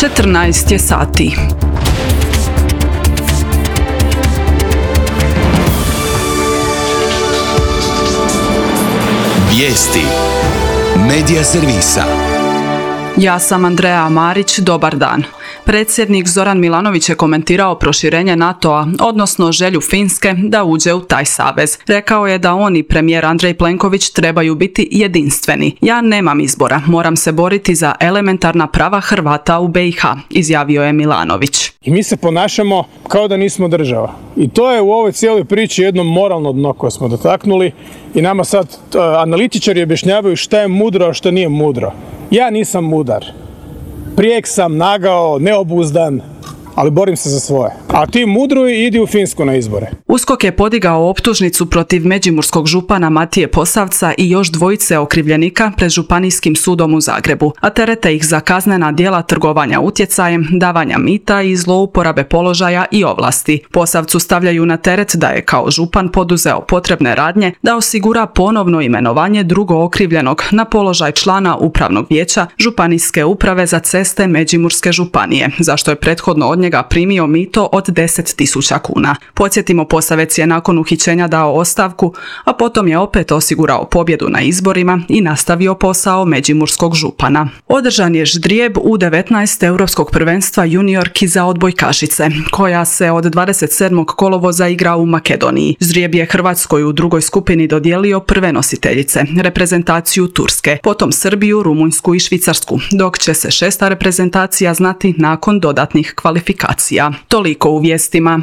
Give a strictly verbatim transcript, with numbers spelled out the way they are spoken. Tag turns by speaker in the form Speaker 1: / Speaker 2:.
Speaker 1: četrnaest je sati.
Speaker 2: Vijesti Medija servisa.
Speaker 1: Ja sam Andreja Marić, dobar dan. Predsjednik Zoran Milanović je komentirao proširenje NATO-a, odnosno želju Finske da uđe u taj savez. Rekao je da on i premijer Andrej Plenković trebaju biti jedinstveni. Ja nemam izbora, moram se boriti za elementarna prava Hrvata u be i ha, izjavio je Milanović.
Speaker 3: I mi se ponašamo kao da nismo država. I to je u ovoj cijeloj priči jedno moralno dno koje smo dotaknuli i nama sad uh, analitičari objašnjavaju šta je mudro, a šta nije mudro. Ja nisam mudar. Prijek sam, nagao, neobuzdan, ali borim se za svoje. A ti mudruj i idi u Finsku na izbore.
Speaker 1: USKOK je podigao optužnicu protiv međimurskog župana Matije Posavca i još dvojice okrivljenika pred Županijskim sudom u Zagrebu, a terete ih za kaznena djela trgovanja utjecajem, davanja mita i zlouporabe položaja i ovlasti. Posavcu stavljaju na teret da je kao župan poduzeo potrebne radnje da osigura ponovno imenovanje drugo okrivljenog na položaj člana upravnog vijeća Županijske uprave za ceste Međimurske županije, zašto je prethodno od njega primio mito od deset tisuća kuna. Podsjetimo, Posavec je nakon uhićenja dao ostavku, a potom je opet osigurao pobjedu na izborima i nastavio posao međimurskog župana. Održan je ždrijeb u devetnaest europskog prvenstva juniorki za odbojkašice, koja se od dvadeset sedmog kolovoza igra u Makedoniji. Ždrijeb je Hrvatskoj u drugoj skupini dodijelio prve nositeljice, reprezentaciju Turske, potom Srbiju, Rumunjsku i Švicarsku, dok će se šesta reprezentacija znati nakon dodatnih kvalifikacija. Toliko u vijestima.